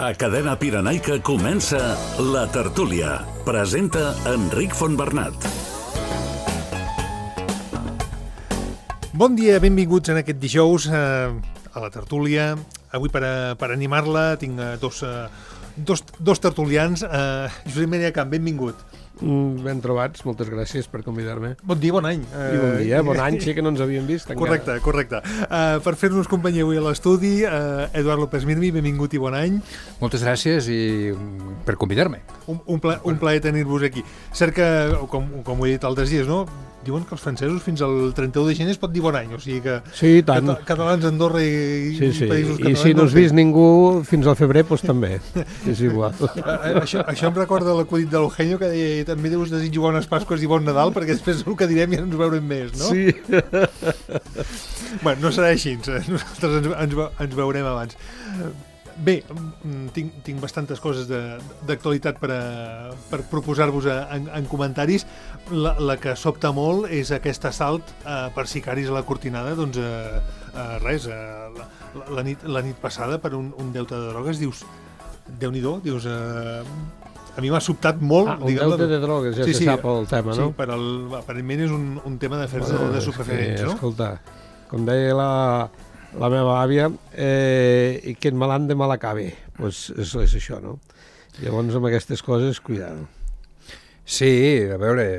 A Cadena Pirenaica comença La Tertúlia. Presenta Enric Fontbernat. Bon dia, benvinguts en aquest dijous a La Tertúlia. Avui per animar-la tinc dos tertulians. Josep Maria Camp, benvingut. Ben trobats, moltes gràcies per convidar-me. Bon dia, bon any. I bon dia, bon any, sí que no ens havíem vist encara. Correcte. Per fer-nos companyia avui a l'estudi, Eduard López Mirmi, benvingut i bon any. Moltes gràcies i per convidar-me. Un plaer tenir-vos aquí. Cert que, com ho he dit altres dies, no? Diuen que els francesos fins al 31 de gener es pot dir bon any, o sigui que sí, tant. Catalans, Andorra i països catalans... I si no has vist ningú fins al febrer, doncs també, és igual. Això em recorda l'acudit de l'Eugenio, que deia, també us desitjo bones Pasques i bon Nadal, perquè després el que direm ja ens veurem més, no? Sí. Bueno, no serà així, nosaltres ens veurem abans. Bé, tinc bastantes coses d'actualitat per proposar-vos en comentaris. La que sobta molt és aquest assalt per sicaris a la Cortinada. Doncs res, la nit passada per un deute de drogues, dius, Déu-n'hi-do, dius... A mi m'ha sobtat molt. Un deute de drogues, ja se sap el tema, no? Sí, aparentment és un tema d'afers de superferents, no? Escolta, com deia la meva àvia, i que en malant de mal acabe. Doncs és això, no? Llavors, amb aquestes coses, cuidado. Sí, a veure,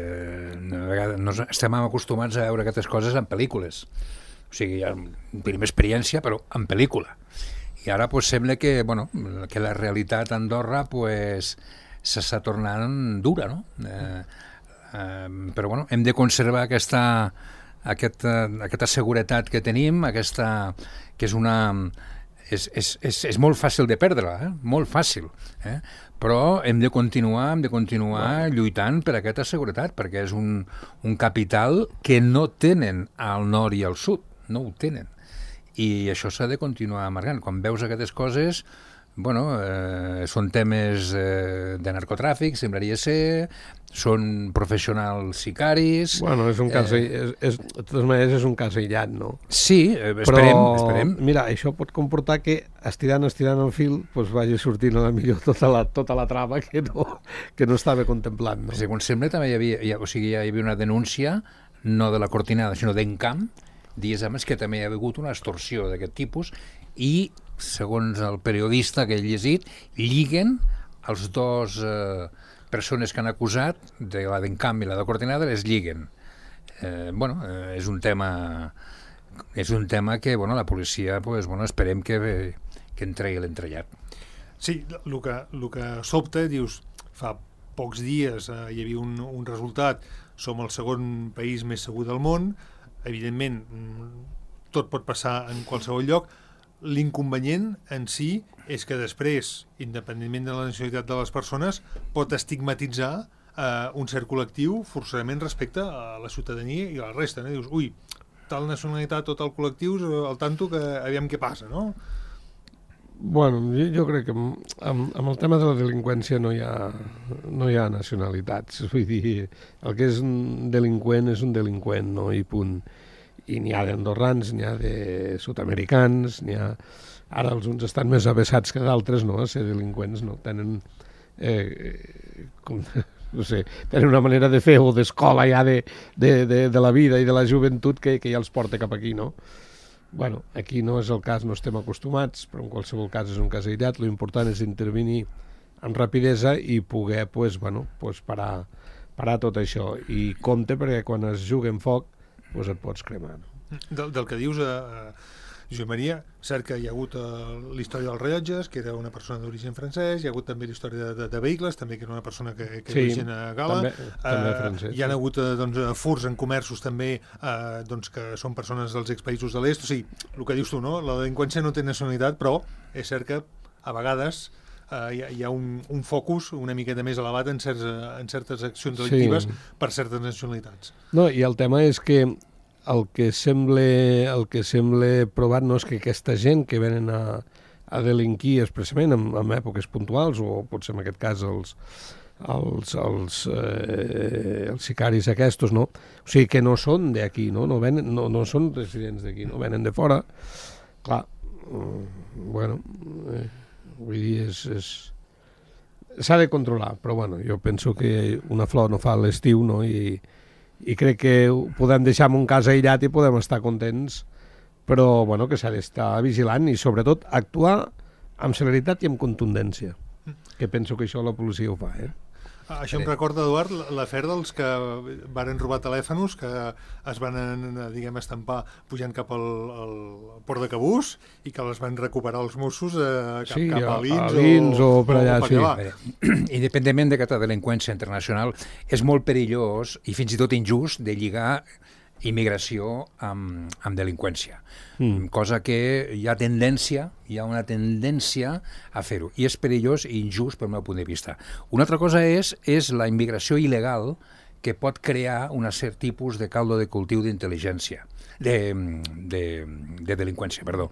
estem acostumats a veure aquestes coses en pel·lícules. O sigui, tenim experiència, però en pel·lícula. I ara pues, sembla que la realitat a Andorra pues, s'està tornant dura, no? Però bueno, hem de conservar aquesta seguretat que tenim, que és molt fàcil de perdre-la, molt fàcil, però hem de continuar lluitant per aquesta seguretat, perquè és un capital que no tenen al nord i al sud, no ho tenen, i això s'ha de continuar amargant. Quan veus aquestes coses, són temes de narcotràfic, semblaria ser, són professionals sicaris... Bueno, és un cas, de totes maneres és un cas aïllat, no? Sí, esperem. Mira, això pot comportar que estirant el fil doncs vagi sortint a la millor tota la trama que no estava contemplant, no? Segons sembla, també hi havia una denúncia, no de la Cortinada, sinó d'Encamp, dies abans que també hi ha hagut una extorsió d'aquest tipus i, segons el periodista que he llegit, lliguen els dos persones que han acusat, de la d'Encamp i la de Cortinada, les lliguen. És un tema que la policia, esperem que entregui l'entrellat. Sí, el que sobta, dius, fa pocs dies hi havia un resultat, som el segon país més segur del món, evidentment tot pot passar en qualsevol lloc. L'inconvenient en si és que després, independentment de la nacionalitat de les persones, pot estigmatitzar un cert col·lectiu forçosament respecte a la ciutadania i a la resta, no? Dius, ui, tal nacionalitat o tal col·lectiu, al tanto que aviam què passa, no? Bueno, jo crec que amb el tema de la delinqüència no hi ha nacionalitats. Vull dir, el que és un delinqüent, no? I punt. I n'hi ha d'andorrans, n'hi ha de sud-americans, n'hi ha... Ara els uns estan més avessats que d'altres, no?, a ser delinqüents, no? Tenen, tenen una manera de fer o d'escola ja de la vida i de la joventut que ja els porta cap aquí, no? Bueno, aquí no és el cas, no estem acostumats, però en qualsevol cas és un cas aïllat. L'important és intervenir amb rapidesa i poder parar tot això. I compte, perquè quan es juga en foc doncs et pots cremar. Del que dius, Josep Maria, cert que hi ha hagut la història dels rellotges, que era una persona d'origen francès, hi ha hagut també la història de vehicles, també que era una persona que d'origen gala, també francès, hi ha hagut furs en comerços també, que són persones dels expaïsos de l'est. O sigui, el que dius tu, no? La delinqüència no té nacionalitat, però és cert que a vegades hi ha un focus una miqueta més elevat en certes accions delictives per certes nacionalitats. No, i el tema és que el que sembla provat no és que aquesta gent que venen a delinquir expressament en èpoques puntuals, o potser en aquest cas els sicaris aquests, no? O sigui que no són d'aquí, no són residents d'aquí, no venen de fora. Clar, Vull dir, s'ha de controlar, però bueno, jo penso que una flor no fa l'estiu, no? I crec que ho podem deixar en un cas aïllat i podem estar contents, però bueno, que s'ha d'estar vigilant i sobretot actuar amb celeritat i amb contundència, que penso que això la policia ho fa, Això em recorda, Eduard, l'afer dels que varen robar telèfons, que es van, diguem, estampar pujant cap al port de Cabús i que les van recuperar els Mossos cap a Lins o per allà, sí. Independentment d'aquesta delinqüència internacional, és molt perillós i fins i tot injust de lligar immigració amb delinqüència. Cosa que hi ha una tendència a fer-ho. I és perillós i injust pel meu punt de vista. Una altra cosa és la immigració il·legal que pot crear un cert tipus de caldo de cultiu d'intel·ligència, de delinqüència, perdó.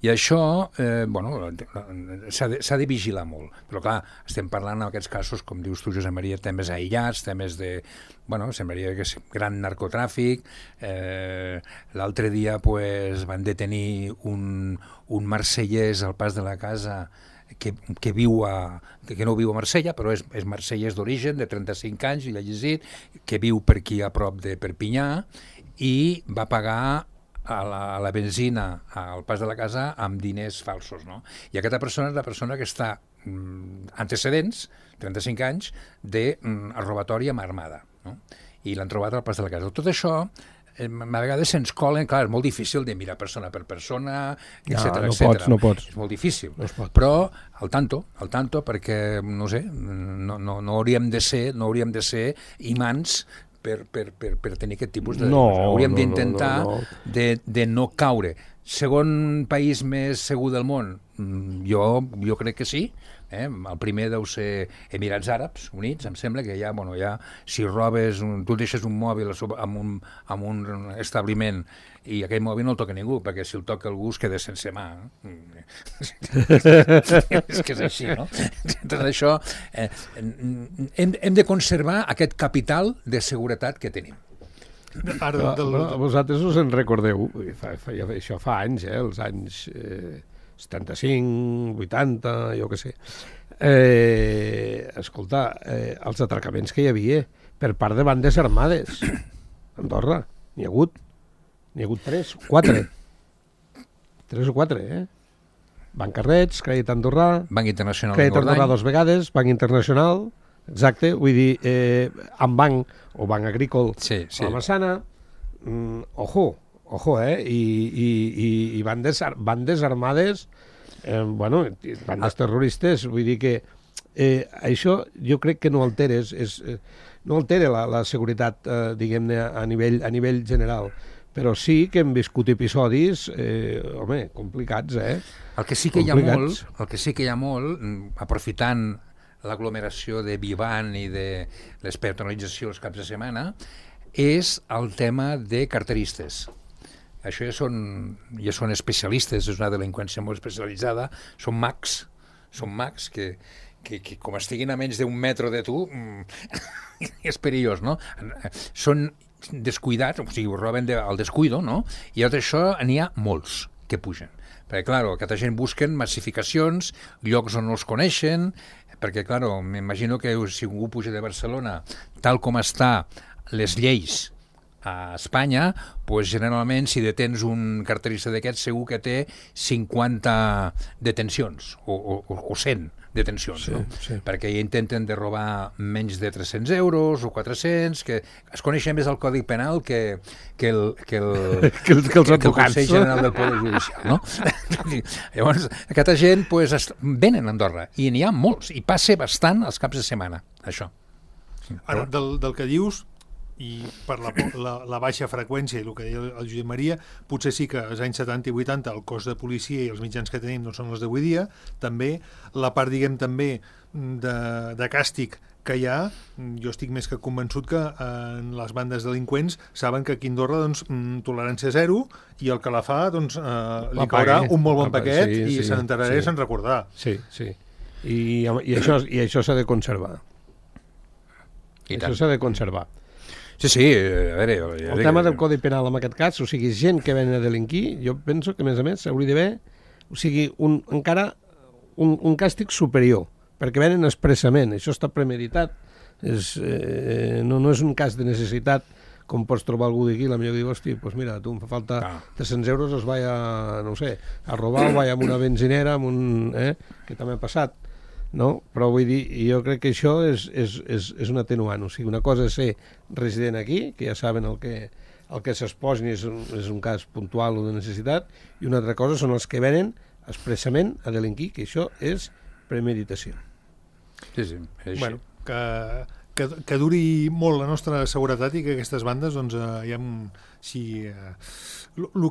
I això, s'ha de vigilar molt. Però clar, estem parlant en aquests casos, com dius tu, Josep Maria, temes aïllats, temes de, semblaria que és gran narcotràfic. L'altre dia van detenir un marsellès al pas de la casa que no viu a Marsella, però és marsellès d'origen, de 35 anys, i l'ha llegit, que viu per aquí a prop de Perpinyà, i va pagar a la benzina al pas de la casa amb diners falsos, no? I aquesta persona és la persona que està antecedents, 35 anys, de robatori amb armada, no? I l'han trobat al pas de la casa. Tot això a vegades se'ns colen, clar, és molt difícil de mirar persona per persona, etcètera, etcètera. No pots. És molt difícil. No es pot. Però al tanto, perquè, no sé, no hauríem de ser imants per tenir aquest tipus de... Hauríem d'intentar de no caure. Segon país més segur del món? Jo crec que sí. El primer deu ser Emirats Àrabs Units, em sembla que ja, si robes, tu deixes un mòbil en un establiment i aquell mòbil no el toca ningú, perquè si el toca algú es queda sense mà. És que és així, no? Tot això, hem de conservar aquest capital de seguretat que tenim. Vosaltres us en recordeu, això fa anys, els anys 75, 80, jo què sé. Escolta, els atracaments que hi havia per part de bandes armades a Andorra, n'hi ha hagut 3 o 4, Banc Carrets, Crèdit Andorrà, Banc Internacional Crèdit Andorrà 2 vegades, Banc Internacional, exacte, vull dir, amb banc o banc agrícola a la Massana, ojo, i bandes armades, bandes terroristes, vull dir que això jo crec que no altera, no altera la seguretat, diguem-ne, a nivell general, però sí que hem viscut episodis, complicats, El que sí que hi ha molt, aprofitant l'aglomeració de Vivant i de l'espetonalització els caps de setmana, és el tema de carteristes. Això ja són especialistes, és una delinqüència molt especialitzada, són mags que com estiguin a menys d'un metre de tu, és perillós, no? Són descuidats, o sigui, ho roben al descuido, no? I tot això n'hi ha molts que pugen. Perquè, clar, aquesta gent busquen massificacions, llocs on no els coneixen, perquè, clar, m'imagino que si algú puja de Barcelona, tal com està les lleis a Espanya, doncs generalment si detens un carterista d'aquests segur que té 50 detencions o 100 detencions, no? Perquè intenten de robar menys de 300 euros o 400, que es coneixen més el Codi Penal que els advocats. Consell General del Poder Judicial, no? Llavors, aquesta gent venen a Andorra i n'hi ha molts, i passa bastant els caps de setmana, això. Ara, del que dius, i per la baixa freqüència i el que deia el Josep Maria, potser sí que als anys 70 i 80 el cos de policia i els mitjans que tenim no són els d'avui dia, també la part, diguem, també de càstig que hi ha, jo estic més que convençut que en les bandes delinqüents saben que aquí a Andorra tolerància zero i el que la fa li caurà un molt bon paquet i se n'enterarà i se'n recordarà. Sí. I això s'ha de conservar. Això s'ha de conservar. Sí, a veure... El tema del Codi Penal en aquest cas, o sigui, gent que ven a delinquir, jo penso que, a més, s'hauria d'haver, o sigui, encara un càstig superior, perquè venen expressament, això està premeditat, no és un cas de necessitat, com pots trobar algú d'aquí, la millor diu, hosti, doncs mira, tu em fa falta 300 euros, els vaig a, no sé, a robar o vaig a una benzinera, que també ha passat, no? Però vull dir, jo crec que això és un atenuant, o sigui, una cosa és ser resident aquí, que ja saben el que s'exposin és un cas puntual o de necessitat, i una altra cosa són els que venen expressament a delinquir, que això és premeditació. Sí, és així. Bueno, que duri molt la nostra seguretat i que aquestes bandes, doncs, el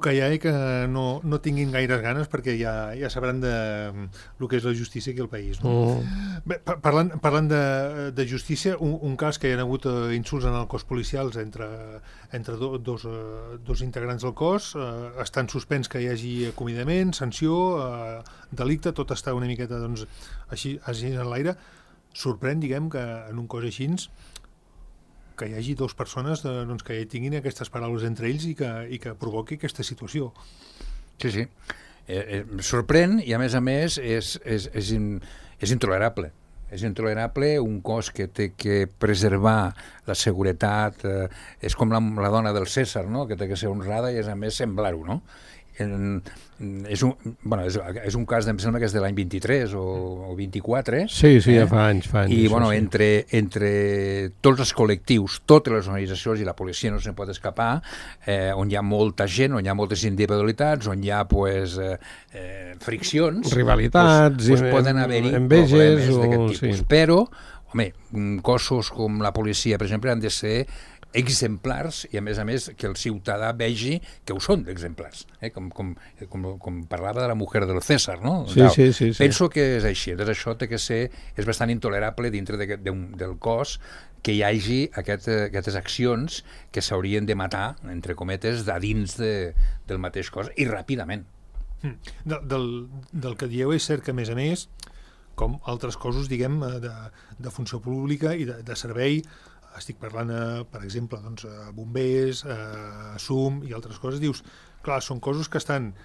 que hi ha és que no tinguin gaires ganes perquè ja sabran el que és la justícia aquí al país. No? Bé, parlant de justícia, un cas que hi ha hagut insults en el cos policials entre dos integrants del cos, estan suspens que hi hagi acomiadament, sanció, delicte, tot està una miqueta doncs, així en l'aire. Sorprèn, diguem, que en un cos així que hi hagi dues persones doncs, que tinguin aquestes paraules entre ells i que provoqui aquesta situació. Sí. Sorprèn i, a més, és intolerable. És intolerable un cos que té que preservar la seguretat. És com la dona del Cèsar, no? Que té que ser honrada i, a més, semblar-ho, no? És un cas, em sembla que és de l'any 23 o 24. Sí, ja fa anys. I, entre tots els col·lectius, totes les organitzacions i la policia no se'n pot escapar, on hi ha molta gent, on hi ha moltes individualitats, on hi ha, friccions, rivalitats, poden haver-hi enveges problemes d'aquest tipus. Sí. Però, home, cossos com la policia, per exemple, han de ser exemplars i, a més, que el ciutadà vegi que ho són d'exemplars. Com parlava de la mujer del César, no? Sí. Penso que és així. Doncs això és bastant intolerable dintre del cos que hi hagi aquestes accions que s'haurien de matar, entre cometes, a dins del mateix cos i ràpidament. Del que dieu és cert que, a més, com altres cossos, diguem, de funció pública i de servei, estic parlant, per exemple, doncs, bombers, SUM i altres coses, dius, clar, són cossos que estan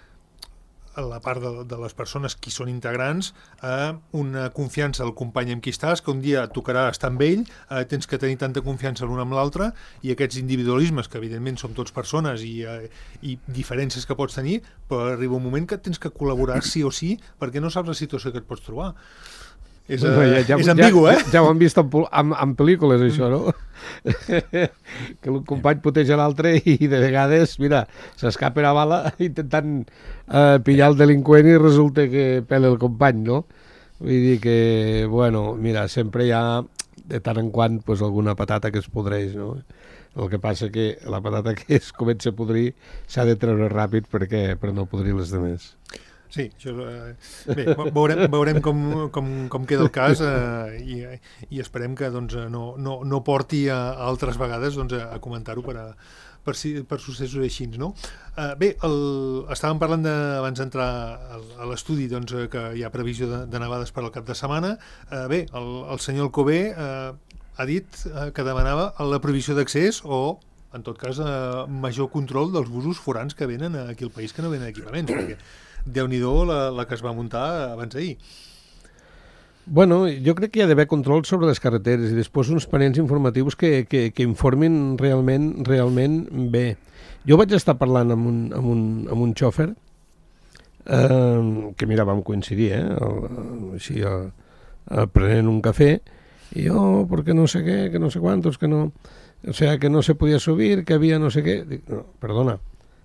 a la part de les persones qui són integrants, una confiança al company amb qui estàs, que un dia tocarà estar amb ell, tens que tenir tanta confiança l'un amb l'altre, i aquests individualismes, que evidentment som tots persones i diferències que pots tenir, però arriba un moment que tens que col·laborar sí o sí, perquè no saps la situació que et pots trobar. És ambigu, Ja ho hem vist en pel·lícules, això, no? Que un company puteja l'altre i de vegades, mira, s'escapa una bala intentant pillar el delinqüent i resulta que pela el company, no? Vull dir que, bueno, mira, sempre hi ha de tant en quant alguna patata que es podreix, no? El que passa que la patata que es comença a podrir s'ha de treure ràpid per no podrir les demés. Sí, això, bé, veurem com queda el cas i esperem que doncs, no porti a altres vegades doncs, a comentar-ho per successos així, no? Bé, estàvem parlant abans d'entrar a l'estudi doncs, que hi ha previsió de nevades per al cap de setmana. Bé, el senyor Alcover ha dit que demanava la prohibició d'accés o, en tot cas, major control dels busos forans que venen aquí al país, que no venen equipaments, perquè Déu-n'hi-do la que es va muntar abans d'ahir. Bueno, jo crec que hi ha d'haver control sobre les carreteres i després uns panells informatius que informin realment bé. Jo vaig estar parlant amb un xòfer que, mira, vam coincidir, així, prenent un cafè, i jo, perquè no sé què, que no sé quantos, que no... O sea, que no se podia subir, que havia no sé què... Dic, no, perdona,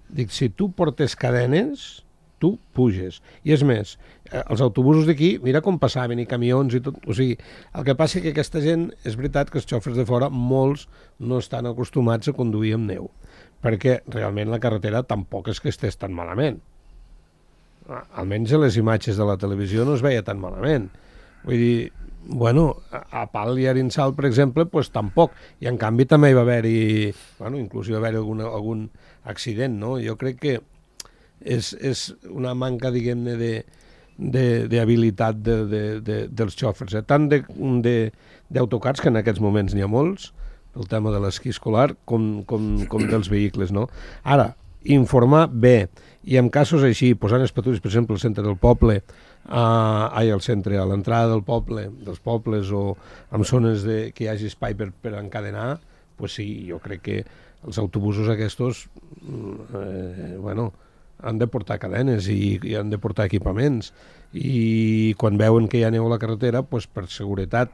dic, si tu portes cadenes, tu puges. I és més, els autobusos d'aquí, mira com passaven, i camions i tot. O sigui, el que passa és que aquesta gent, és veritat que els xòfers de fora, molts no estan acostumats a conduir amb neu, perquè realment la carretera tampoc és que estés tan malament. Almenys a les imatges de la televisió no es veia tan malament. Vull dir, bueno, a Pal i Arinsal, per exemple, doncs tampoc. I en canvi també hi va haver-hi, bueno, inclús hi va haver-hi algun accident, no? Jo crec que és una manca, diguem-ne, d'habilitat dels xòfers, tant d'autocars, que en aquests moments n'hi ha molts, el tema de l'esquí escolar, com dels vehicles, no? Ara, informar bé, i en casos així, posant les patrulles, per exemple, al centre del poble, al centre, a l'entrada del poble, dels pobles, o en zones que hi hagi espai per encadenar, pues sí, jo crec que els autobusos aquests han de portar cadenes i han de portar equipaments, i quan veuen que hi ha neu a la carretera, pues, per seguretat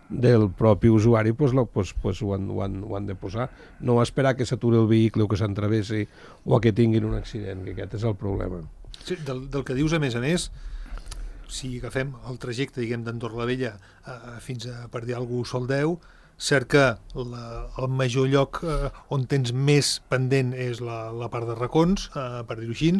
del propi usuari, pues, ho han de posar. No esperar que s'aturi el vehicle o que s'entravessi o que tinguin un accident, que aquest és el problema. Sí, del que dius, a més, si agafem el trajecte, diguem, d'Andorra la Vella fins a, per dir alguna cosa, Soldeu, cert que el major lloc on tens més pendent és la part de racons, per dir-ho així.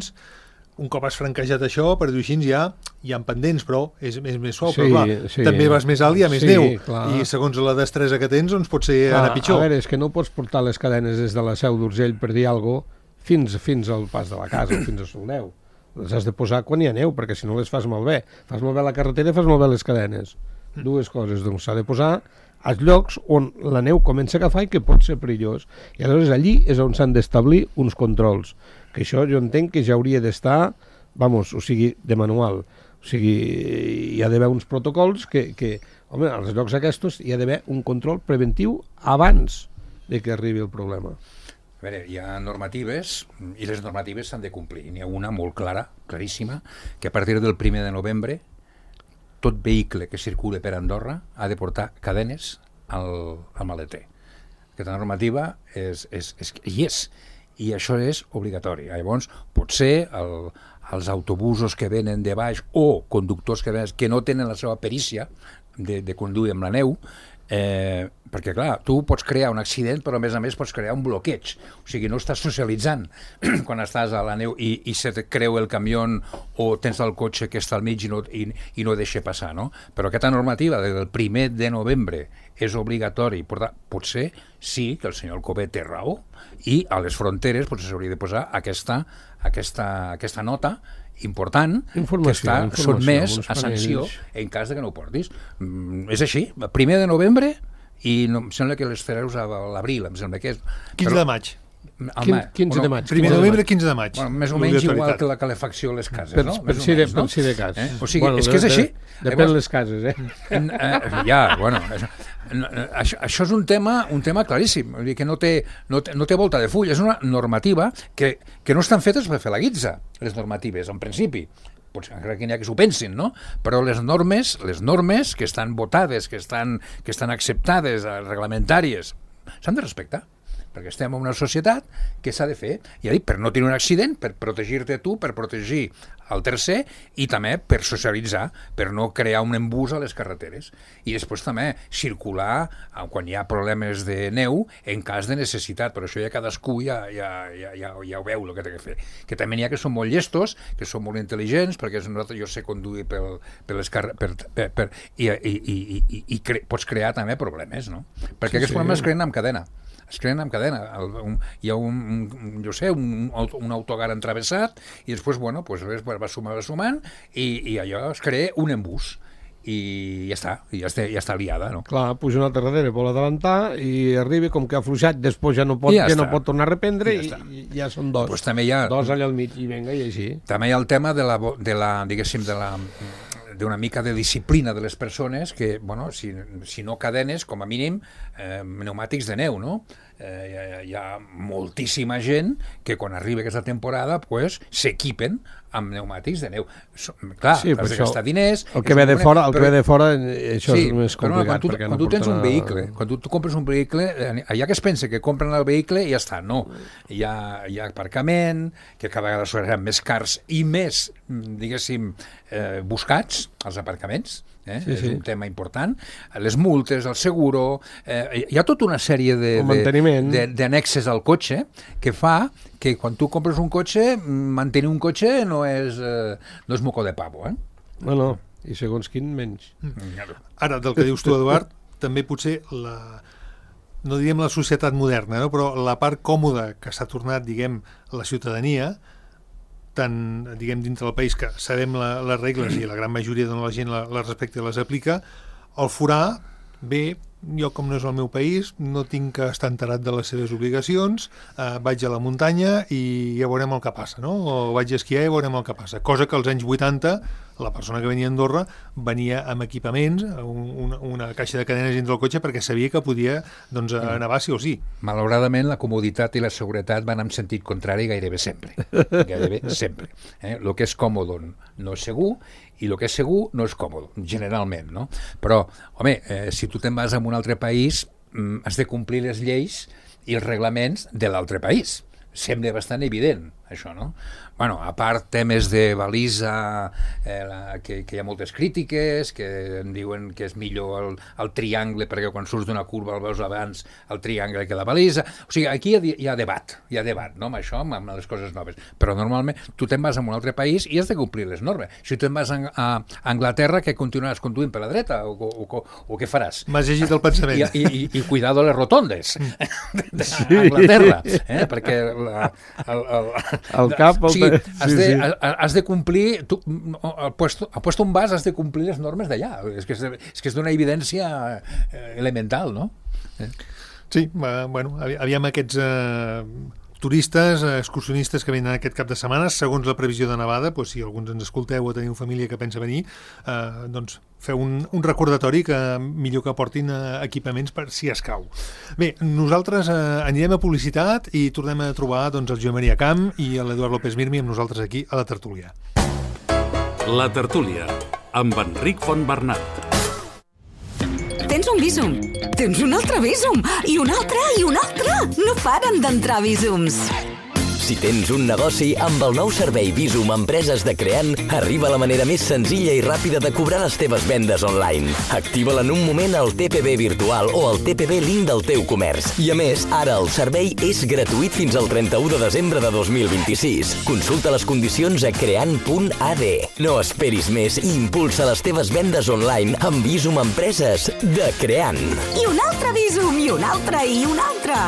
Un cop has franquejat això, per dir-ho així, ja hi ha pendents, però és més suau. Sí, però clar, també vas més alt i hi ha més neu. Clar. I segons la destresa que tens, doncs pot ser anar pitjor. A veure, és que no pots portar les cadenes des de la Seu d'Urgell, per dir alguna cosa, fins al pas de la casa, fins a Soldeu. Les has de posar quan hi ha neu, perquè si no les fas malbé. Fas malbé la carretera i fas malbé les cadenes. Dues coses, doncs s'ha de posar als llocs on la neu comença a agafar i que pot ser perillós. I aleshores allí és on s'han d'establir uns controls, que això jo entenc que ja hauria d'estar, de manual. O sigui, hi ha d'haver uns protocols que home, als llocs aquests hi ha d'haver un control preventiu abans de que arribi el problema. A veure, hi ha normatives, i les normatives s'han de complir. N'hi ha una molt clara, claríssima, que a partir del 1 de novembre tot vehicle que circule per Andorra ha de portar cadenes al maleter. Aquesta normativa hi és, i això és obligatori. Llavors, potser els autobusos que venen de baix o conductors que no tenen la seva perícia de conduir amb la neu, perquè clar, tu pots crear un accident però a més pots crear un bloqueig, o sigui, no estàs socialitzant quan estàs a la neu i se te creu el camió o tens el cotxe que està al mig i no deixa passar, no? Però aquesta normativa del 1 de novembre és obligatori, potser sí que el senyor Alcover té raó i a les fronteres potser s'hauria de posar aquesta nota important que està sotmès a sanció en cas de que no ho portis. És així, 1 de novembre i em sembla que les Ferreus a l'abril, em sembla que és... 15 de maig. 15 de maig. 1 de novembre, 15 de maig. Més o menys igual que la calefacció a les cases, no? Per si de cas. O sigui, és que és així. Depèn les cases, Ja, bueno... Això és un tema claríssim, vull dir que no té volta de full, és una normativa que no estan fetes per fer la guitza, les normatives, en principi. Potser encara que n'hi ha que s'ho pensin, no? Però les normes que estan votades, que estan acceptades, reglamentàries, s'han de respectar, perquè estem en una societat que s'ha de fer, ja dic, per no tenir un accident, per protegir-te tu, per protegir el tercer i també per socialitzar, per no crear un embús a les carreteres. I després també circular quan hi ha problemes de neu en cas de necessitat, però això ja cadascú ja ho veu el que té que fer. Que també n'hi ha que són molt llestos, que són molt intel·ligents, perquè jo sé conduir per les carreteres i pots crear també problemes, no? Perquè aquests problemes es creen amb cadena. Hi ha un autocar entravessat i després, bueno, pues va sumant i allò es crea un embús i ja està liada, no? Clar, puja una altra darrere, vol adelantar i arriba, com que ha afluixat, després ja no pot tornar a reprendre i ja són dos. Pues també hi ha dos allà al mig i venga, i així. També hi ha el tema d'una mica de disciplina de les persones que, bueno, si no cadenes, com a mínim pneumàtics de neu, no? Hi ha moltíssima gent que quan arriba aquesta temporada pues, s'equipen amb pneumàtics de neu. Clar, has de gastar diners... El que ve de fora, això és més complicat. Quan tu tens un vehicle, quan tu compres un vehicle, allà que es pensa que compren el vehicle i ja està, no. Hi ha aparcament, que cada vegada seran més cars i més, diguéssim, buscats, els aparcaments, és un tema important, les multes, el seguro, hi ha tota una sèrie d'annexes al cotxe que fa que quan tu compres un cotxe, mantenir un cotxe no és moco de pavo, No, i segons quin menys. Ara, del que dius tu, Eduard, també potser no diríem la societat moderna, no? Però la part còmoda que s'ha tornat, diguem, la ciutadania, tant, diguem, dintre del país, que sabem les regles i la gran majoria de la gent les respecta i les aplica, el forà ve jo, com no és el meu país, no tinc que estar enterat de les seves obligacions, vaig a la muntanya i ja veurem el que passa, no? O vaig a esquiar i veurem el que passa. Cosa que als anys 80 la persona que venia a Andorra venia amb equipaments, una caixa de cadenes dins del cotxe perquè sabia que podia nevar sí o sí. Malauradament, la comoditat i la seguretat van en sentit contrari gairebé sempre. Gairebé sempre. El que és còmode no és segur i el que és segur no és còmode, generalment, no? Però, home, si tu te'n vas a un altre país, has de complir les lleis i els reglaments de l'altre país. Sembla bastant evident, això, no? Bueno, a part temes de balisa, que hi ha moltes crítiques, que em diuen que és millor el triangle, perquè quan surts d'una curva el veus abans el triangle que la balisa. O sigui, aquí hi ha debat, no?, amb això, amb les coses noves. Però normalment tu te'n vas a un altre país i has de complir les normes. Si tu te'n vas a Anglaterra, que continuaràs conduint per la dreta o què faràs? M'has llegit el pensament. I cuidado les rotondes d'Anglaterra, perquè el cap... O sigui, has de complir, al puesto on vas has de complir les normes d'allà. És que és d'una evidència elemental, no? Sí, bueno, aviam aquests turistes, excursionistes que venen aquest cap de setmana, segons la previsió de nevada, doncs, si alguns ens escolteu o teniu família que pensa venir, doncs feu un recordatori que millor que portin equipaments per si escau. Bé, nosaltres anirem a publicitat i tornem a trobar doncs, el Joan Maria Camp i l'Eduard López Mirmi amb nosaltres aquí a la tertúlia. La tertúlia, amb Enric Fontbernat. Tens un Bizum, tens un altre Bizum, i un altre, i un altre. No paren d'entrar Bizums. Si tens un negoci, amb el nou servei Bizum Empreses de Creant, arriba la manera més senzilla i ràpida de cobrar les teves vendes online. Activa-la en un moment al TPB virtual o al TPB Link del teu comerç. I a més, ara el servei és gratuït fins al 31 de desembre de 2026. Consulta les condicions a creant.ad. No esperis més i impulsa les teves vendes online amb Bizum Empreses de Creant. I un altre Bizum, i un altre, i un altre.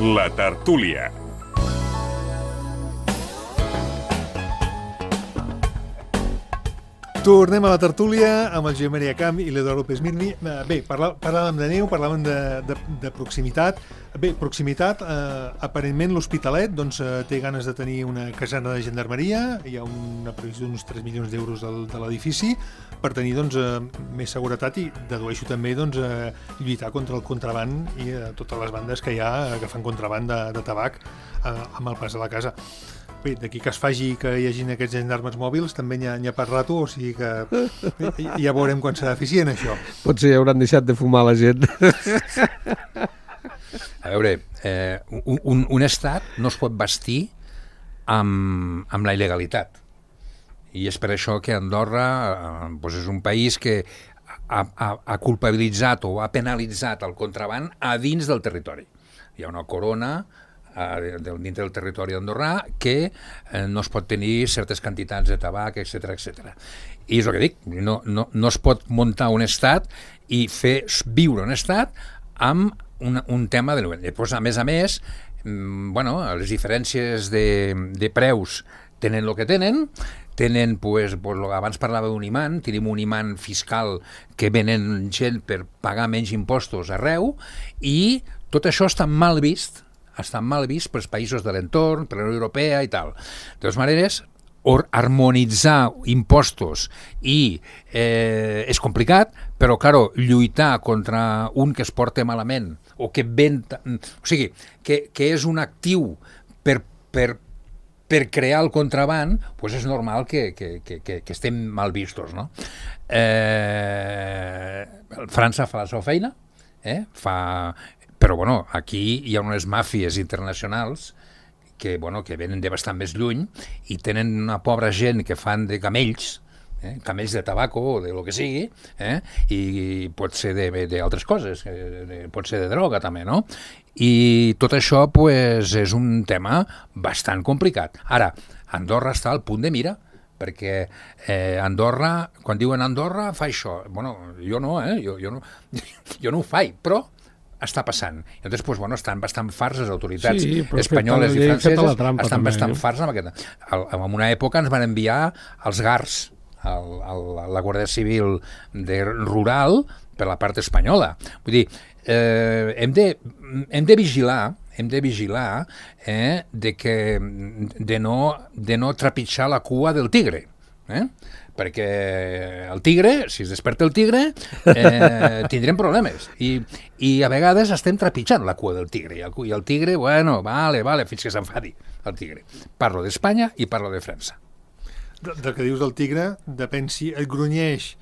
La tertúlia. Tornem a la tertúlia amb el Joan Maria Camp i l'Eduard López Mirmi. Bé, parlàvem de neu, parlàvem de proximitat. Bé, proximitat, aparentment l'Hospitalet doncs, té ganes de tenir una casana de gendarmeria, hi ha una previsió d'uns 3 milions d'euros de l'edifici per tenir doncs, més seguretat i dedueixo també doncs, lluitar contra el contraband i totes les bandes que hi ha que fan contraband de tabac amb el pas a la casa. Bé, d'aquí que es faci que hi hagin aquests gendarmes mòbils també n'hi ha per rato, o sigui que ja veurem quan serà eficient això. Potser hauran deixat de fumar la gent. A veure, un estat no es pot vestir amb la il·legalitat. I és per això que Andorra doncs és un país que ha culpabilitzat o ha penalitzat el contraband a dins del territori. Hi ha una corona dintre del territori andorrà que no es pot tenir certes quantitats de tabac, etc etc. I és el que dic, no es pot muntar un estat i fer viure un estat amb un tema de... Després, a més, bueno, les diferències de preus tenen el que tenen, pues, abans parlava d'un imant, tenim un imant fiscal que venen gent per pagar menys impostos arreu, i tot això està mal vist pels països de l'entorn, per la Unió Europea i tal. De totes maneres, harmonitzar impostos és complicat, però, claro, lluitar contra un que es porta malament o que ven... O sigui, que és un actiu per crear el contraband, doncs és normal que estem mal vistos, no? França fa la seva feina, però, bueno, aquí hi ha unes màfies internacionals que venen de bastant més lluny i tenen una pobra gent que fan de camells, camells de tabaco o de lo que sigui, i pot ser d'altres coses, pot ser de droga també, no? I tot això pues, és un tema bastant complicat. Ara, Andorra està al punt de mira, perquè Andorra, quan diuen Andorra fa això, bueno, jo no ho faig, però està passant. I llavors, doncs, bueno, estan bastant farts les autoritats la espanyoles i llei feta franceses, la trampa, estan també, bastant farts amb aquest. En una època ens van enviar els GARS, la Guàrdia Civil rural, per la part espanyola. Vull dir, hem de vigilar de no trepitjar la cua del tigre, perquè el tigre, si es desperta el tigre, tindrem problemes i a vegades estem trepitjant la cua del tigre i el tigre, bueno, vale, fins que s'enfadi el tigre. Parlo d'Espanya i parlo de França. Del que dius del tigre, depèn si et grunyeix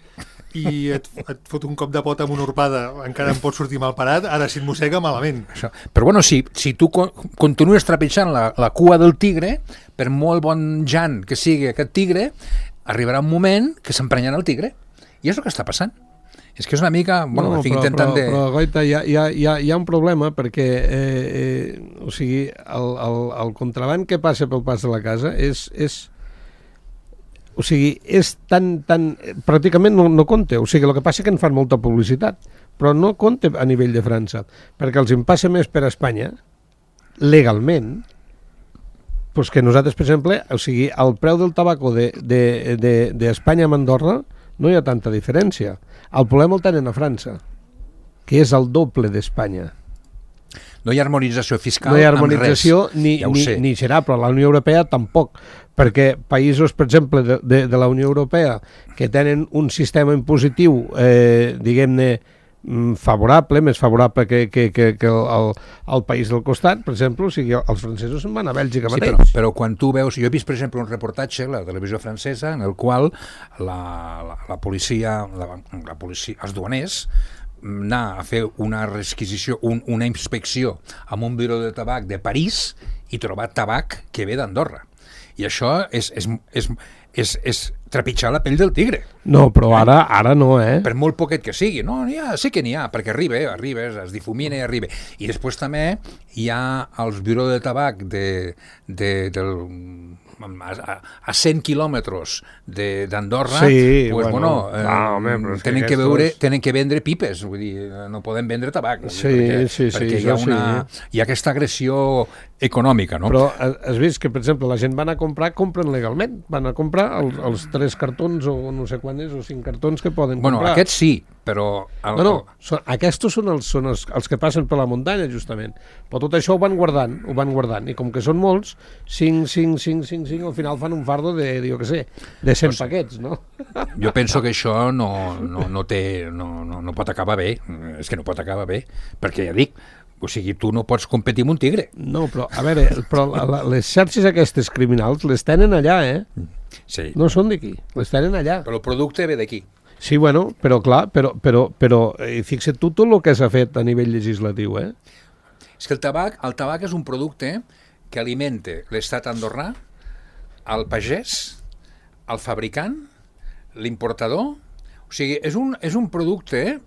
i et fot un cop de pota amb una urpada, encara en pot sortir mal parat, ara si et mossega, malament. Això. Però bueno, si tu continues trepitjant la cua del tigre, per molt bon jan que sigui aquest tigre, arribarà un moment que s'emprenyarà el tigre. I és el que està passant. És que és una mica... Bueno, estic intentant de... Però, Goita, hi ha un problema, perquè o sigui, el contraband que passa pel pas de la casa és tan pràcticament no compta. O sigui, el que passa és que en fan molta publicitat, però no compta a nivell de França, perquè els en passa més per Espanya, legalment, doncs que nosaltres, per exemple, o sigui, el preu del tabaco d'Espanya amb Andorra no hi ha tanta diferència. El problema el tenen a França, que és el doble d'Espanya. No hi ha harmonització fiscal no hi ha harmonització amb res. ni serà, però la Unió Europea tampoc, perquè països, per exemple, de la Unió Europea que tenen un sistema impositiu, diguem-ne, favorable, més favorable que el país del costat, per exemple, o sigui, els francesos se'n van a Bèlgica mateix. Sí, però quan tu veus... Jo he vist, per exemple, un reportatge a la televisió francesa en el qual la policia, els duaners, anar a fer una requisició, una inspecció amb un biró de tabac de París i trobar tabac que ve d'Andorra. I això és trepitjar la pell del tigre. No, però ara no, Per molt poquet que sigui. No, sí que n'hi ha, perquè arriba, es difumina i arriba. I després també hi ha els biró de tabac a 100 quilòmetres d'Andorra, sí, pues, tenen que vendre pipes, vull dir, no poden vendre tabac, perquè hi ha aquesta agressió econòmica, no? Però has vist que, per exemple, la gent van a compren legalment, van a comprar els 3 cartons o no sé quan és, o 5 cartons que poden comprar. Bueno, aquests sí, però... Aquests són els que passen per la muntanya, justament. Però tot això ho van guardant, i com que són molts, 5, al final fan un fardo de 100 paquets, no? Jo penso que això no pot acabar bé, és que no pot acabar bé, perquè ja dic, o sigui, tu no pots competir amb un tigre. No, però, a veure, les xarxes aquestes criminals les tenen allà, Sí. No són d'aquí, les tenen allà. Però el producte ve d'aquí. Sí, bueno, però clar, però fixa't tu tot el que s'ha fet a nivell legislatiu, És que el tabac és un producte que alimenta l'estat andorrà, el pagès, el fabricant, l'importador. O sigui, és un producte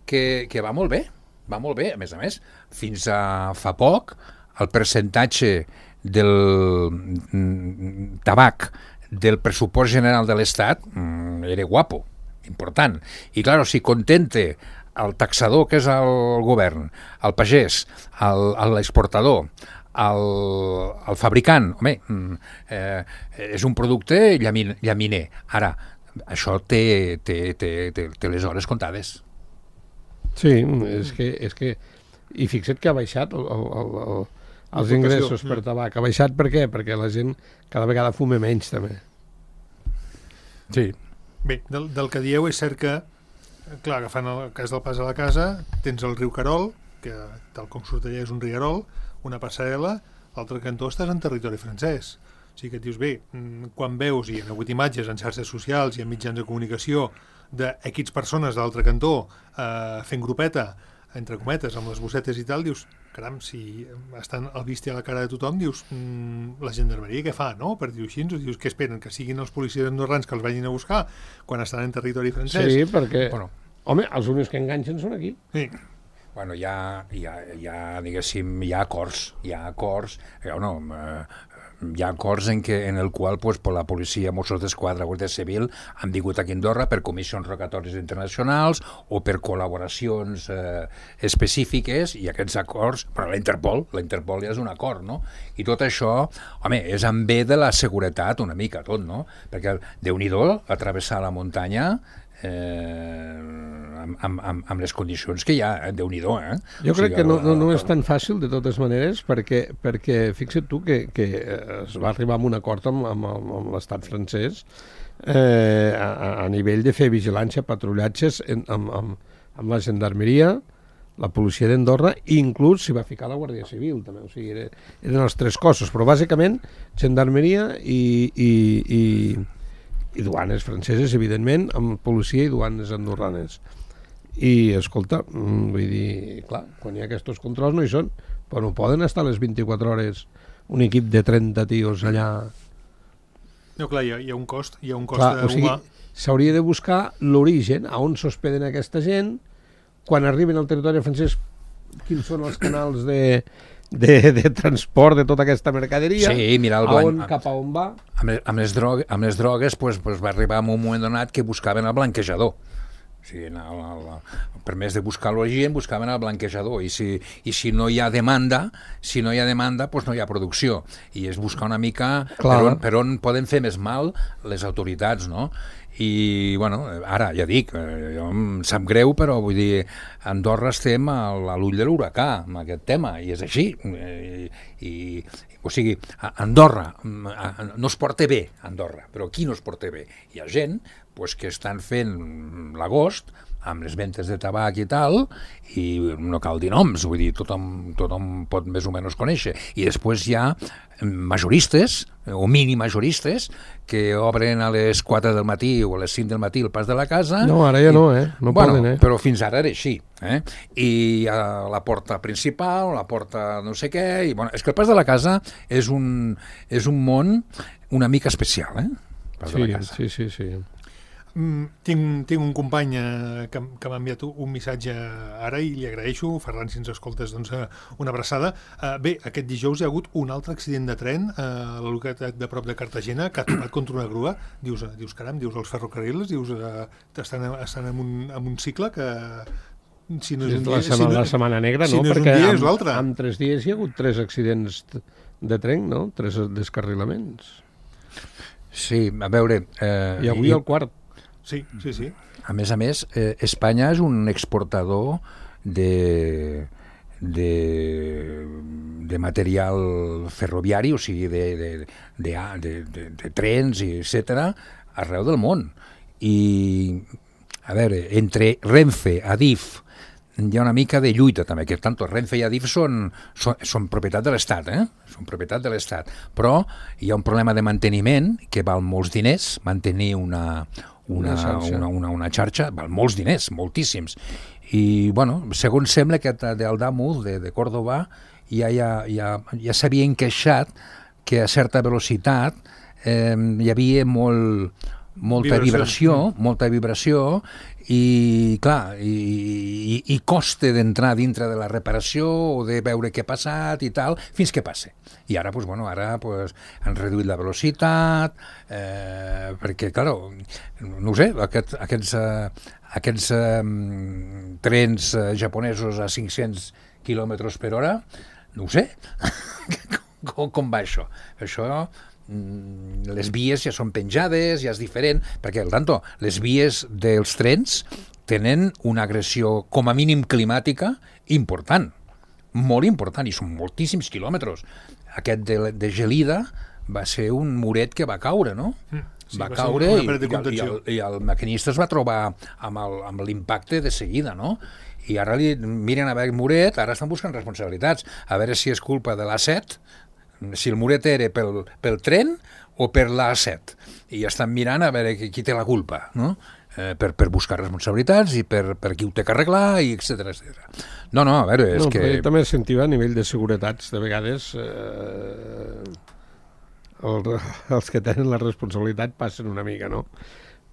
que va molt bé, a més. Fins a fa poc, el percentatge del tabac del pressupost general de l'Estat era guapo, important. I, clar, si contente el taxador, que és el govern, el pagès, l'exportador, el fabricant, home, és un producte llaminer. Ara, això té les hores comptades. Sí, és que i fixa't que ha baixat els ingressos per tabac. Ha baixat per què? Perquè la gent cada vegada fuma menys, també. Sí. Bé, del que dieu és cert que, clar, agafant el cas del pas a la casa, tens el riu Carol, que tal com surt allà és un rierol, una passarel·la, l'altre cantó estàs en territori francès. O sigui que et dius, bé, quan veus, i hi ha hagut imatges en xarxes socials i en mitjans de comunicació, d'equips persones de l'altre cantó fent grupeta, entre cometes, amb les bossetes i tal, dius, caram, si estan al vist a la cara de tothom, dius, la gendarmeria què fa, no? Per dir-ho així, dius, què esperen? Que siguin els policies andorrans que els vagin a buscar quan estan en territori francès? Sí, perquè, home, els únics que enganxen són aquí. Sí. Bueno, diguéssim, hi ha acords. hi ha acords en el qual pues, la policia, Mossos d'Esquadra, Guàrdia Civil han vingut aquí a Andorra per comissions rogatòries internacionals o per col·laboracions específiques, i aquests acords, però la Interpol ja és un acord, no? I tot això, home, és en bé de la seguretat una mica tot, no? Perquè Déu-n'hi-do atravessar la muntanya amb les condicions que hi ha, Déu-n'hi-do, Jo crec que no és tan fàcil de totes maneres, perquè fixa't tu que es va arribar a un acord amb l'estat francès a nivell de fer vigilància, patrullatges amb la gendarmeria, la policia d'Andorra, i inclús s'hi va ficar la Guàrdia Civil també, o sigui, eren els tres cossos, però bàsicament gendarmeria i duanes franceses, evidentment, amb policia i duanes andorranes. I, escolta, vull dir, clar, quan hi ha aquests controls no hi són, però no poden estar les 24 hores un equip de 30 tios allà. No, clar, hi ha un cost, Clar, o sigui, s'hauria de buscar l'origen, a on s'hospeden aquesta gent, quan arriben al territori francès, quins són els canals de transport de tota aquesta mercaderia, sí, mira, cap a on va. Amb les drogues pues va arribar en un moment donat que buscaven el blanquejador. O sigui, per més de buscar l'origen, buscaven el blanquejador, i si no hi ha demanda, pues no hi ha producció, i és buscar una mica per on poden fer més mal les autoritats, no? I, bueno, ara ja dic, jo em sap greu, però vull dir, a Andorra estem a l'ull de l'huracà amb aquest tema, i és així. O sigui, Andorra no es porta bé, Andorra, però qui no es porta bé? Hi ha gent pues, que estan fent l'agost amb les ventes de tabac i tal, i no cal dir noms, vull dir, tothom pot més o menys conèixer. I després hi ha majoristes, o mini-majoristes, que obren a les 4 del matí o a les 5 del matí el pas de la casa. No, ara ja no, no poden, Però fins ara era així, I a la porta principal, la porta no sé què, i bueno, és que el pas de la casa és un món una mica especial, Pas de la casa. Sí. Tinc un company que m'ha enviat un missatge ara i li agraeixo. Ferran, si ens escoltes, doncs una abraçada. Bé, aquest dijous hi ha hagut un altre accident de tren a la localitat de prop de Cartagena que ha topat contra una grua. Dius caram, els ferrocarrils, estan en un cicle que... Si no és un dia, la setmana negra, no? Si no és un dia, és l'altre. En 3 dies hi ha hagut 3 accidents de tren, no? 3 descarrilaments. Sí, a veure... I avui el quart. Sí. A més, Espanya és un exportador de material ferroviari, o sigui, de trens, etc., arreu del món. I, a veure, entre Renfe, Adif, hi ha una mica de lluita també, que tant Renfe i Adif són propietat de l'Estat, són propietat de l'Estat, però hi ha un problema de manteniment que val molts diners, mantenir una xarxa, val molts diners, moltíssims. I, bueno, segons sembla que d'Aldamuz, de Córdoba, ja s'havia encaixat que a certa velocitat hi havia molta vibració i, clar, i costa d'entrar dintre de la reparació o de veure què ha passat i tal, fins que passe. I ara, han reduït la velocitat, perquè, clar, no ho sé, aquests trens japonesos a 500 km per hora, no ho sé, com va això? Això... les vies ja són penjades, ja és diferent, perquè, les vies dels trens tenen una agressió, com a mínim climàtica, important, molt important, i són moltíssims quilòmetres. Aquest de Gelida va ser un muret que va caure, no? Sí, va caure i el maquinista es va trobar amb l'impacte de seguida, no? I ara miren a veure el muret, ara estan buscant responsabilitats, a veure si és culpa de l'A7, si el muret era pel tren o per l'A7, i estan mirant a veure qui té la culpa, no? Per buscar responsabilitats i per qui ho té que arreglar, i etcètera. No, a veure, és que... També sentiu a nivell de seguretats, de vegades els que tenen la responsabilitat passen una mica, no?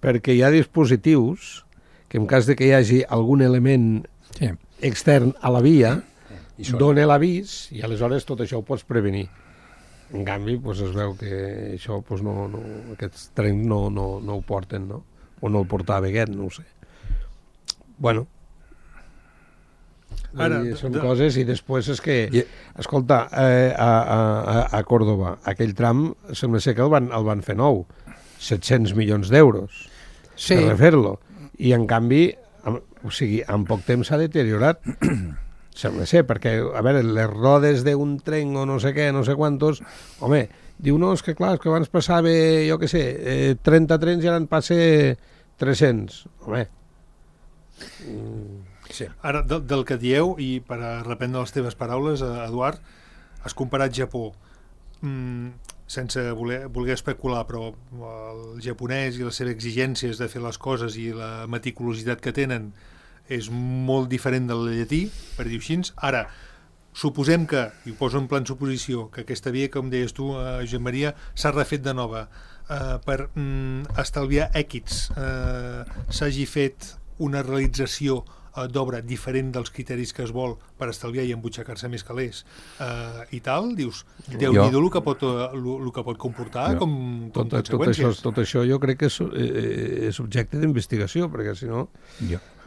Perquè hi ha dispositius que en cas de que hi hagi algun element extern a la via, dona l'avís i aleshores tot això ho pots prevenir. En canvi, doncs es veu que això, doncs aquests trens no ho porten, no? O no el portava aquest, no ho sé. Bueno, Ara, són coses, i després és que, escolta, a Còrdova, aquell tram, sembla ser que el van fer nou, 700 milions d'euros per refer-lo, i en canvi, o sigui, en poc temps s'ha deteriorat, sembla ser, perquè, a veure, les rodes d'un tren o no sé què, no sé quantos, home, diu, no, és que clar, és que abans passava, jo què sé, 30 trens i ara en passa 300, home. Sí. Ara, del que dieu, i per a reprendre les teves paraules, Eduard, has comparat Japó, sense voler especular, però el japonès i les seves exigències de fer les coses i la meticulositat que tenen és molt diferent del llatí, per dir-ho així. Ara, suposem que, i ho poso en plan suposició, que aquesta via, com deies tu, Josep Maria, s'ha refet de nova per estalviar èquits, s'hagi fet una realització d'obra diferent dels criteris que es vol per estalviar i embutxacar-se més calés i tal, dius, Déu-n'hi-do el que pot comportar com conseqüències. Tot això jo crec que és objecte d'investigació, perquè si no...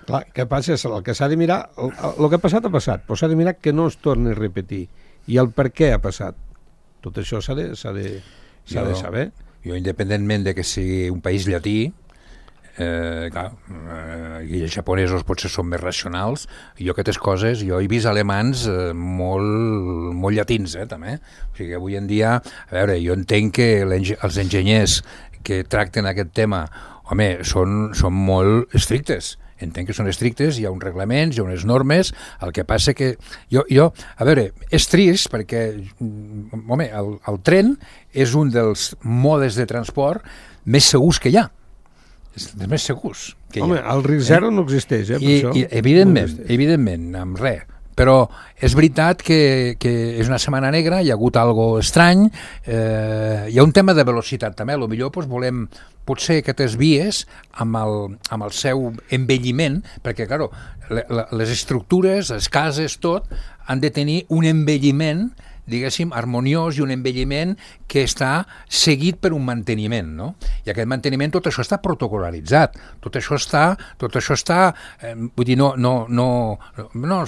Clar, què passa? El que s'ha de mirar, el que ha passat, però s'ha de mirar que no es torni a repetir, i el per què ha passat. Tot això s'ha de saber. Jo, independentment de que sigui un país llatí, clar, i els japonesos potser són més racionals, jo aquestes coses, jo he vist alemans molt llatins, també. O sigui, avui en dia, a veure, jo entenc que els enginyers que tracten aquest tema, home, són molt estrictes. Entenc que són estrictes, hi ha uns reglaments, hi ha unes normes, el que passa que jo a veure, és trist perquè, home, el tren és un dels modes de transport més segurs que hi ha. És dels més segurs que hi ha. Home, el risc zero no existeix, per això. I evidentment, amb res. Però és veritat que és una setmana negra, hi ha hagut algo estrany, hi ha un tema de velocitat també, potser doncs, volem potser aquestes vies amb el seu envelliment, perquè clar, les estructures, les cases, tot, han de tenir un envelliment, diguéssim, harmoniós, i un envelliment que està seguit per un manteniment, no? I aquest manteniment, tot això està protocolaritzat, tot això està vull dir, no,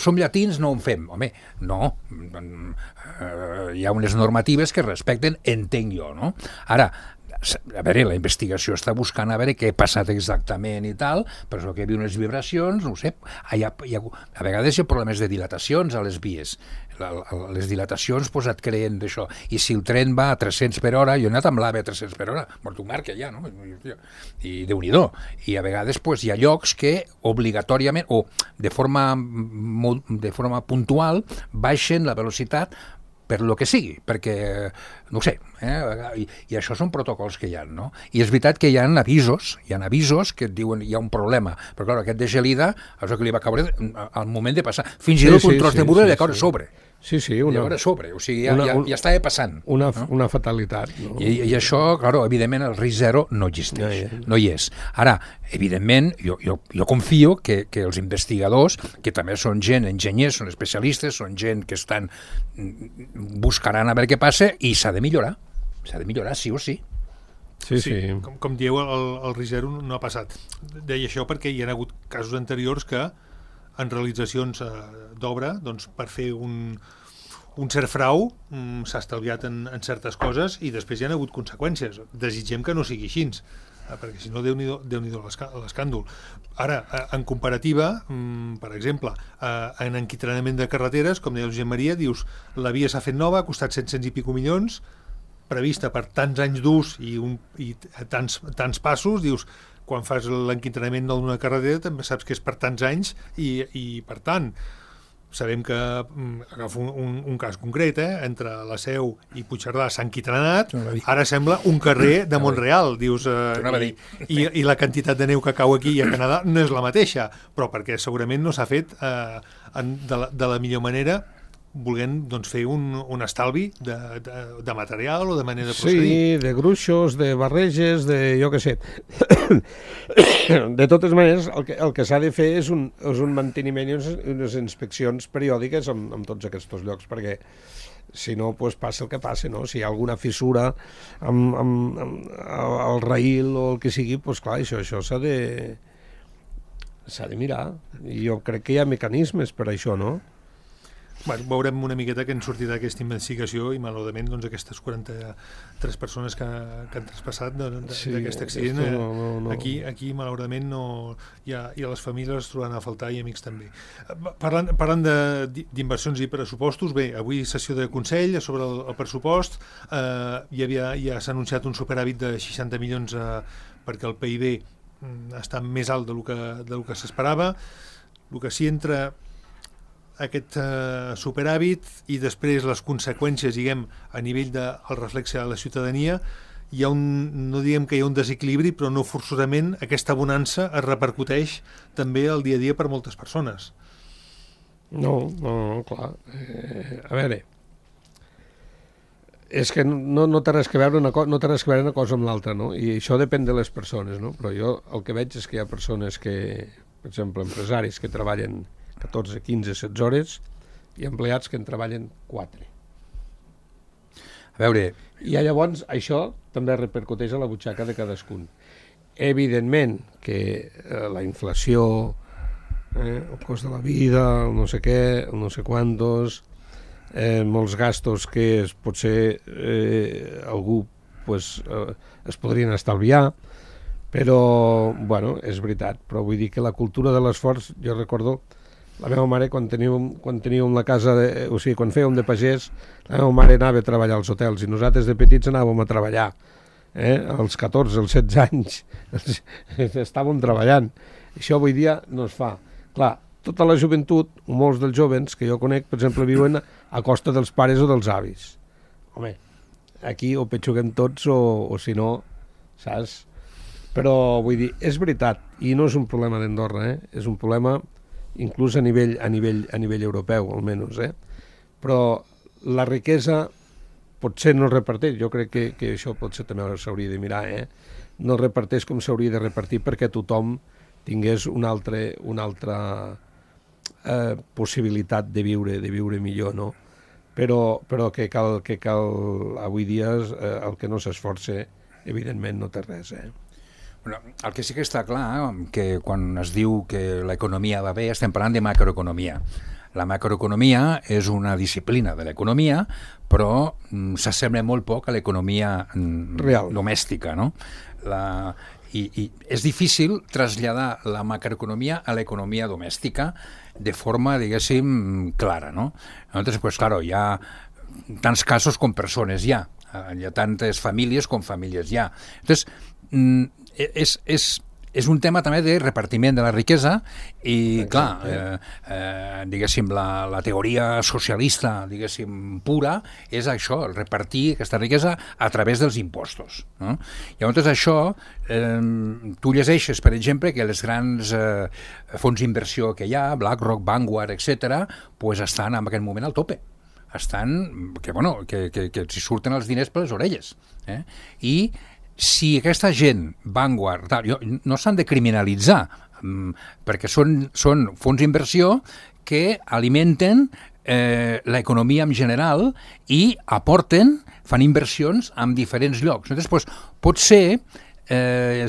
som llatins, no ho fem, home, no, hi ha unes normatives que respecten, entenc jo, no? Ara, a veure, la investigació està buscant a veure què ha passat exactament i tal, però és que hi havia unes vibracions, no ho sé, a vegades hi ha problemes de dilatacions a les vies, les dilatacions pues, et creen d'això, i si el tren va a 300 per hora, jo he anat amb l'AVE a 300 per hora, mort un marca ja, no? I Déu-n'hi-do, i a vegades pues, hi ha llocs que obligatòriament o de forma puntual baixen la velocitat per lo que sigui, perquè, no ho sé, i això són protocols que hi ha, no? I és veritat que hi ha avisos que et diuen hi ha un problema, però clar, aquest de gelida, és el que li va caure al moment de passar, fins i tot un tros de muro li va caure sobre. Sí, o sigui, ja estava passant. Una fatalitat. No? I això, clar, evidentment, el risc zero no existeix, no hi és. Ara, evidentment, jo confio que els investigadors, que també són gent, enginyers, són especialistes, són gent que buscaran a veure què passa, i s'ha de millorar, sí o sí. Sí. Com dieu, el risc zero no ha passat. Deia això perquè hi ha hagut casos anteriors que en realitzacions d'obra, doncs, per fer un cert frau s'ha estalviat en certes coses i després hi ha hagut conseqüències. Desitgem que no sigui així, perquè si no, Déu-n'hi-do l'escàndol. Ara, en comparativa, per exemple, en enquitranament de carreteres, com deia el Josep Maria, dius, la via s'ha fet nova, ha costat 700 i pico milions, prevista per tants anys d'ús i tants passos, dius, quan fas l'enquitranament d'una carretera també saps que és per tants anys i per tant, sabem que agafo un cas concret, entre la Seu i Puigcerdà s'ha enquitranat, ara sembla un carrer de Montreal, dius, i la quantitat de neu que cau aquí i a Canadà no és la mateixa, però perquè segurament no s'ha fet de la millor manera, volent doncs, fer un estalvi de material o de manera de procedir. Sí, de gruixos, de barreges, de jo què sé. De totes maneres, el que s'ha de fer és un manteniment i unes inspeccions periòdiques en tots aquests llocs, perquè Si no, doncs passa el que passa, no? Si hi ha alguna fissura amb el raïl o el que sigui, doncs clar, això s'ha de mirar. I jo crec que hi ha mecanismes per això, no? Bueno, veurem una miqueta què en sortirà d'aquesta investigació i malauradament doncs, aquestes 43 persones que han traspassat d'aquest accident no. Aquí malauradament no, i a les famílies es trobaran a faltar i amics també. Parlant d'inversions i pressupostos, bé, avui sessió de Consell sobre el pressupost, ja s'ha anunciat un superàvit de 60 milions perquè el PIB està més alt del que s'esperava. El que sí entra aquest superàvit i després les conseqüències, diguem, a nivell del reflexe de la ciutadania, hi ha no diguem que hi ha un desequilibri, però no forçosament aquesta bonança es repercuteix també al dia a dia per moltes persones. No, clar. A veure, és que no té res que veure una cosa amb l'altra, no? I això depèn de les persones, no? Però jo el que veig és que hi ha persones que, per exemple, empresaris que treballen 14, 15, 16 hores i empleats que en treballen 4. A veure... I llavors això també repercuteix a la butxaca de cadascun. Evidentment que la inflació, el cost de la vida, el no sé què, el no sé quantos, molts gastos que potser algú es podrien estalviar, però, bueno, és veritat. Però vull dir que la cultura de l'esforç, jo recordo la meva mare, quan teníem la casa, o sigui, quan fèiem de pagès, la meva mare anava a treballar als hotels i nosaltres de petits anàvem a treballar. Als 14, als 16 anys estàvem treballant. Això avui dia no es fa. Clar, tota la joventut, molts dels jovens que jo conec, per exemple, viuen a costa dels pares o dels avis. Home, aquí o petxuguem tots o si no, saps? Però vull dir, és veritat, i no és un problema d'Andorra, és un problema inclús a nivell europeu, almenys, però la riquesa potser no es reparteix, jo crec que això potser també s'hauria de mirar, no es reparteix com s'hauria de repartir perquè tothom tingués una altra possibilitat de viure millor, no? Però que cal avui dia el que no s'esforça, evidentment no té res, Bueno, el que sí que està clar, que quan es diu que l'economia va bé, estem parlant de macroeconomia. La macroeconomia és una disciplina de l'economia, però s'assembla molt poc a l'economia domèstica, no? I és difícil traslladar la macroeconomia a l'economia domèstica de forma, diguéssim, clara, no? Entonces, pues claro, hi ha tants casos com persones hi ha tantes famílies com famílies hi ha. Entonces, és un tema també de repartiment de la riquesa i, clar, diguéssim, la teoria socialista, diguéssim, pura, és això, el repartir aquesta riquesa a través dels impostos, no? Llavors, això, tu llegeixes, per exemple, que els grans fons d'inversió que hi ha, BlackRock, Vanguard, etc., pues estan en aquest moment al tope. Estan, que els surten els diners per les orelles. I si aquesta gent, Vanguard, no s'han de criminalitzar, perquè són fons d'inversió que alimenten l'economia en general i aporten, fan inversions en diferents llocs. Llavors, potser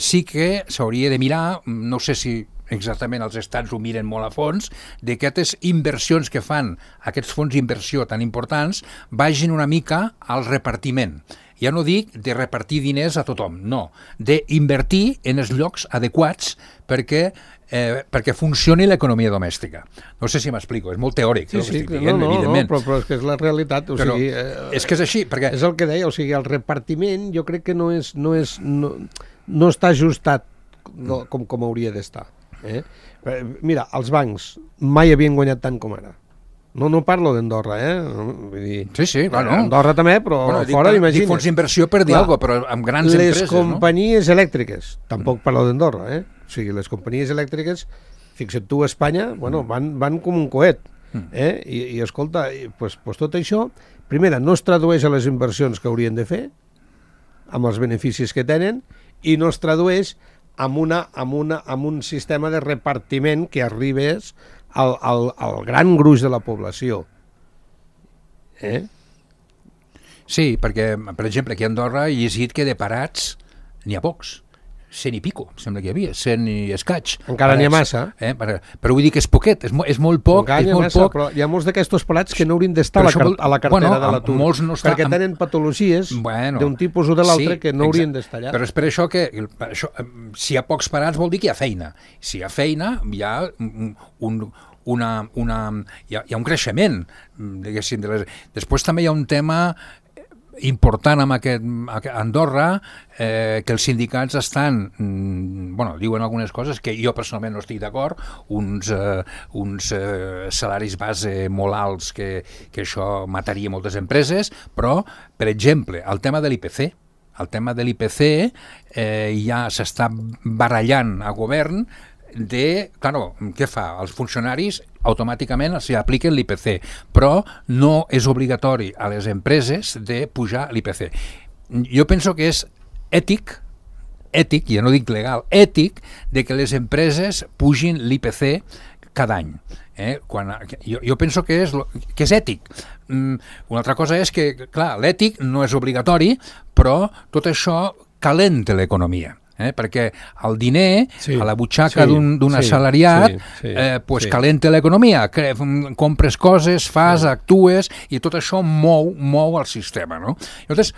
sí que s'hauria de mirar, no sé si exactament els estats ho miren molt a fons, d'aquestes inversions que fan aquests fons d'inversió tan importants vagin una mica al repartiment. Ja no dic de repartir diners a tothom, no, d'invertir en els llocs adequats perquè funcioni l'economia domèstica. No sé si m'explico, és molt teòric el que estic dient, evidentment. No, però és que és la realitat. És que és així, perquè... És el que deia, o sigui, el repartiment jo crec que no està ajustat com hauria d'estar. Mira, els bancs mai havien guanyat tant com ara. No parlo d'Andorra, Vull dir, sí, clar, no. Andorra també, però fora, imagina't. Dic fons d'inversió per dir alguna cosa, però amb grans empreses, no? Les companyies elèctriques, tampoc parlo d'Andorra, O sigui, les companyies elèctriques, fixa't tu, a Espanya, van com un coet, I escolta, pues tot això, primera, no es tradueix a les inversions que haurien de fer, amb els beneficis que tenen, i no es tradueix amb un sistema de repartiment que arribés al gran gruix de la població. Sí, perquè, per exemple, aquí a Andorra he llegit que de parats n'hi ha pocs. 100 i pico, sembla que hi havia, 100 i escaig. Encara n'hi ha massa. Però vull dir que és poquet, és molt poc. Encara n'hi ha massa, però hi ha molts d'aquests parats que no haurien d'estar a la cartera de l'atur, perquè tenen patologies d'un tipus o de l'altre que no haurien d'estar allà. Però és per això que si hi ha pocs parats vol dir que hi ha feina. Si hi ha feina, hi ha hi ha un creixement, diguéssim. Després també hi ha un tema important amb Andorra, que els sindicats estan, diuen algunes coses que jo personalment no estic d'acord, uns salaris base molt alts que això mataria moltes empreses, però, per exemple, el tema de l'IPC. El tema de l'IPC ja s'està barallant a govern què fa? Els funcionaris automàticament s'hi apliquen l'IPC, però no és obligatori a les empreses de pujar l'IPC. Jo penso que és ètic, ja no dic legal, ètic, de que les empreses pugin l'IPC cada any. Jo penso que és ètic. Una altra cosa és que, clar, l'ètic no és obligatori, però tot això calenta l'economia. Perquè el diner a la butxaca d'un assalariat calenta l'economia, compres coses, actues, i tot això mou el sistema. Llavors,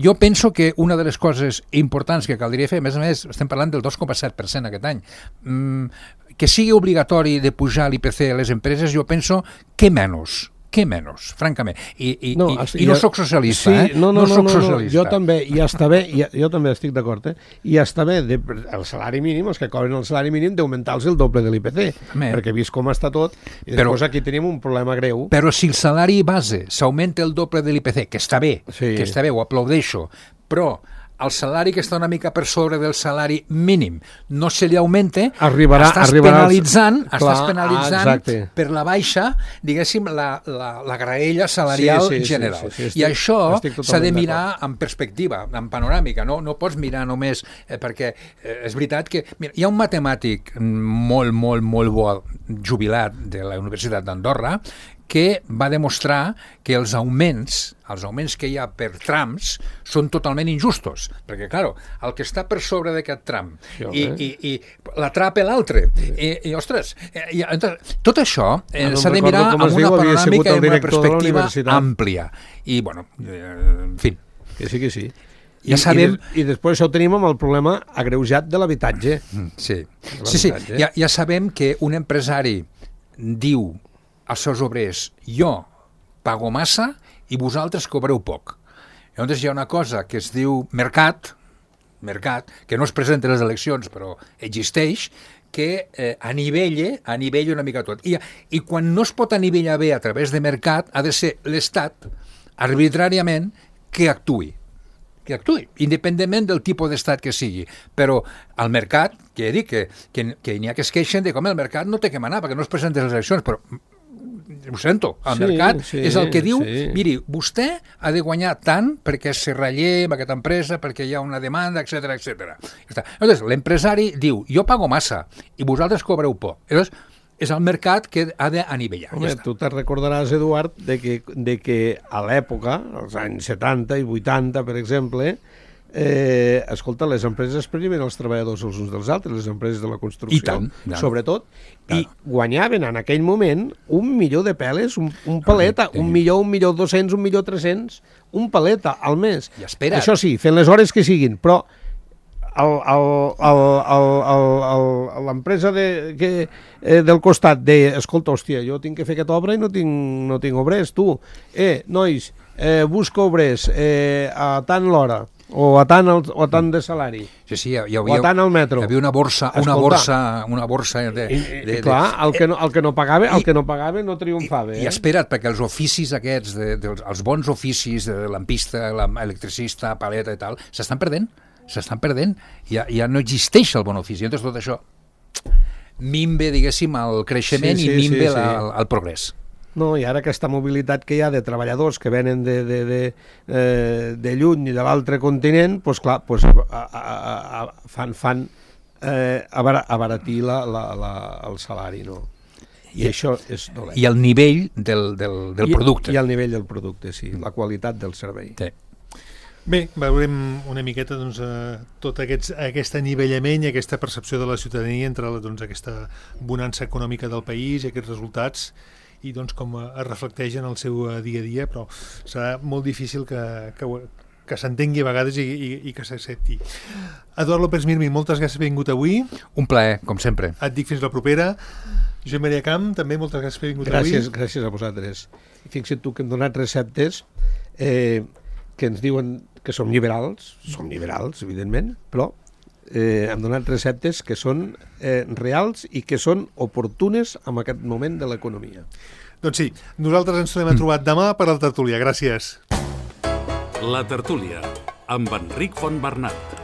jo penso que una de les coses importants que caldria fer, a més estem parlant del 2,7% aquest any, que sigui obligatori de pujar l'IPC a les empreses, jo penso que menys, francament. I no soc socialista, No, jo també, i està bé, jo també estic d'acord, i està bé, el salari mínim, els que cobren el salari mínim, d'augmentar-los el doble de l'IPC, perquè he vist com està tot, i després aquí tenim un problema greu. Però si el salari base s'augmenta el doble de l'IPC, que està bé, ho aplaudeixo, però el salari que està una mica per sobre del salari mínim no se li augmenta, estàs penalitzant per la baixa, diguéssim, la graella salarial general. I això s'ha de mirar en perspectiva, en panoràmica, no pots mirar només, perquè és veritat que hi ha un matemàtic molt bo jubilat de la Universitat d'Andorra que va demostrar que els augments que hi ha per trams són totalment injustos, perquè, clar, el que està per sobre d'aquest tram i l'atrapa l'altre, i ostres, tot això s'ha de mirar amb una panoràmica i amb una perspectiva àmplia. I, en fi. Que sí. Ja sabem... I després ho tenim amb el problema agreujat de l'habitatge. Sí. Ja sabem que un empresari diu als seus obrers, jo pago massa i vosaltres cobreu poc. Llavors hi ha una cosa que es diu mercat, que no es presenta a les eleccions però existeix, que anivella una mica tot. I quan no es pot anivellar bé a través de mercat, ha de ser l'Estat, arbitràriament, que actuï, independentment del tipus d'estat que sigui. Però el mercat, que he dit que n'hi ha que es queixen de com el mercat no té que manar perquè no es presenta a les eleccions, però ho sento, el mercat és el que diu, miri, vostè ha de guanyar tant perquè se relleva aquesta empresa, perquè hi ha una demanda, etc. Llavors, l'empresari diu, jo pago massa i vosaltres cobreu poc. Llavors, és el mercat que ha d'anivellar. Tu te'n recordaràs, Eduard, de que a l'època, als anys 70 i 80, per exemple, escolta, les empreses premien els treballadors els uns dels altres, les empreses de la construcció, sobretot, i guanyaven en aquell moment 1.000.000 de peles, un paleta, 1.200.000, 1.300.000, un paleta al mes. Això sí, fent les hores que siguin, però l'empresa del costat escolta, hòstia, jo tinc que fer aquesta obra i no tinc obrers, tu. Nois, busca obrers a tant l'hora, o a tant de salari, o a tant al metro. Hi havia una borsa de... Clar, el que no pagava no triomfava. I espera't, perquè els oficis aquests, els bons oficis de lampista, electricista, paleta i tal, s'estan perdent, ja no existeix el bon ofici. Llavors tot això minve, diguéssim, el creixement i minve el progrés. No, i ara aquesta mobilitat que hi ha de treballadors que venen de lluny i de l'altre continent, doncs clar, fan abaratir el salari, no? I això és dolent. I el nivell del producte. I el nivell del producte, sí, la qualitat del servei. Sí. Bé, veurem una miqueta doncs, tot aquest anivellament i aquesta percepció de la ciutadania entre doncs, aquesta bonança econòmica del país i aquests resultats i doncs, com es reflecteix en el seu dia a dia, però serà molt difícil que s'entengui a vegades i que s'accepti. Eduard López Mirmi, moltes gràcies per haver vingut avui. Un plaer, com sempre. Et dic fins la propera. Josep Maria Camp, també moltes gràcies per haver vingut avui. Gràcies a vosaltres. I fixa't tu que hem donat receptes que ens diuen que som liberals, evidentment, però hem donat receptes que són reals i que són oportunes en aquest moment de l'economia. Doncs sí, nosaltres ens tornem a trobar demà per al Tertúlia. Gràcies. La Tertúlia, amb Enric Fontbernat.